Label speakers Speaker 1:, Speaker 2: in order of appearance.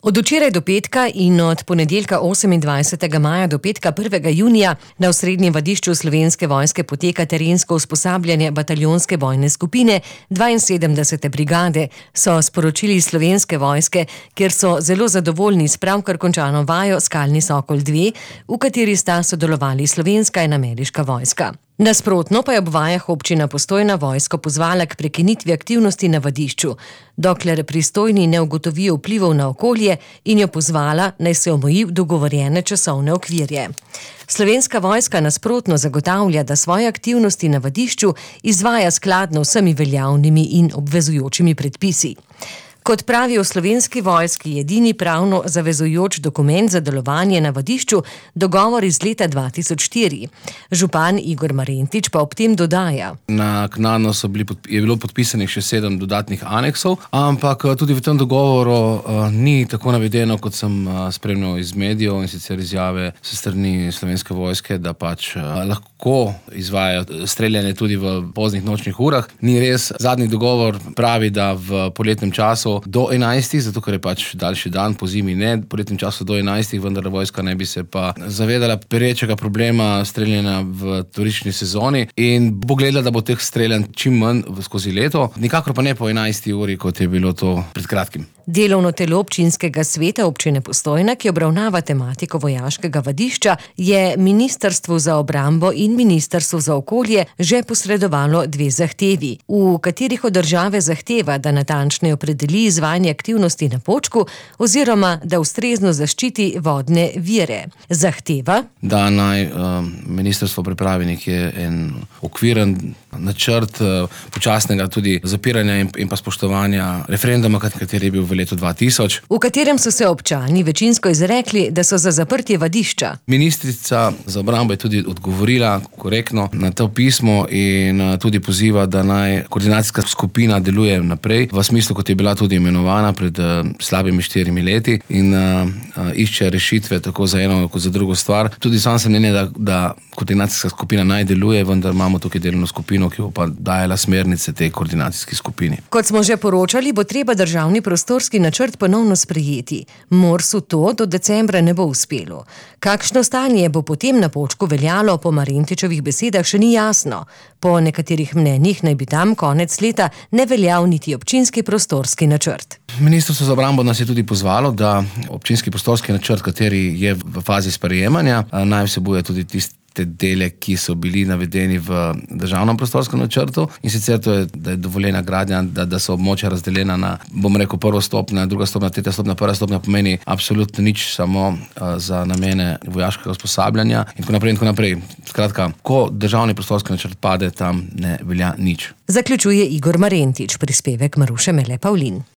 Speaker 1: Od včeraj do petka in od ponedeljka 28. maja do petka 1. junija na osrednjem vadišču Slovenske vojske poteka terensko usposabljanje bataljonske bojne skupine 72. brigade, so sporočili iz Slovenske vojske, kjer so zelo zadovoljni s pravkar končano vajo Skalni Sokol 2, v kateri sta sodelovali slovenska in ameriška vojska. Nasprotno pa je ob vajah občina Postojna vojsko pozvala k prekinitvi aktivnosti na vadišču, dokler pristojni ne ugotovijo vplivov na okolje, in jo pozvala, naj se omeji v dogovorjene časovne okvirje. Slovenska vojska nasprotno zagotavlja, da svoje aktivnosti na vadišču izvaja skladno vsemi veljavnimi in obvezujočimi predpisi. Kot pravijo v Slovenski vojski, je edini pravno zavezujoč dokument za delovanje na vadišču dogovor iz leta 2004. Župan Igor Marentič pa ob tem dodaja:
Speaker 2: Naknadno je bilo podpisanih še 7 dodatnih aneksov, ampak tudi v tem dogovoru ni tako navedeno, kot sem spremljal iz medijev, in sicer izjave s strani Slovenske vojske, da lahko izvajajo streljanje tudi v poznih nočnih urah. Ni res. Zadnji dogovor pravi, da v poletnem času do 11, zato ker je daljši dan, po zimi ne, v poletnem času do 11, vendar vojska ne bi se pa zavedala perečega problema streljanja v turistični sezoni in bo gledala, da bo teh streljanj čim manj skozi leto, nikakor pa ne po 11. uri, kot je bilo to pred kratkim.
Speaker 1: Delovno telo občinskega sveta občine Postojna, ki obravnava tematiko vojaškega vadišča, je Ministrstvu za obrambo in Ministrstvu za okolje že posredovalo 2 zahtevi, v katerih od države zahteva, da natančneje opredeli izvajanje aktivnosti na Počku oziroma da ustrezno zaščiti vodne vire. Zahteva, da
Speaker 2: naj ministrstvo pripravi nekje en okviren načrt počasnega tudi zapiranja in pa spoštovanja referenduma, kateri je bil v letu 2000.
Speaker 1: V katerem so se občani večinsko izrekli, da so za zaprtje vadišča.
Speaker 2: Ministrica za obrambo je tudi odgovorila korektno na to pismo in tudi poziva, da naj koordinacijska skupina deluje naprej v smislu, kot je bila tudi imenovana pred slabimi 4 leti in išče rešitve tako za eno kot za drugo stvar. Tudi sam sem mnenja, da koordinacijska skupina naj deluje, vendar imamo tukaj delovno skupino, ki bo pa dajala smernice tej koordinacijski skupini.
Speaker 1: Kot smo že poročali, bo treba državni prostorski načrt ponovno sprejeti. Morsu to do decembra ne bo uspelo. Kakšno stanje bo potem na Počku veljalo, po Marentičevih besedah še ni jasno. Po nekaterih mnenjih naj bi tam konec leta ne veljal niti občinski prostorski načrt.
Speaker 2: Ministrstvo za obrambo nas je tudi pozvalo, da občinski prostorski načrt, kateri je v fazi sprejemanja, naj vsebuje tudi tiste dele, ki so bili navedeni v državnem prostorskem načrtu, in sicer to je, da je dovoljena gradnja, da so območja razdeljena na, prva stopnja, druga stopnja, tretja stopnja, prva stopnja pomeni absolutno nič, samo za namene vojaškega usposabljanja in tako naprej. Skratka, ko državni prostorski načrt pade, tam ne velja nič.
Speaker 1: Zaključuje Igor Marentič, prispevek Maruše Mele Pavlin.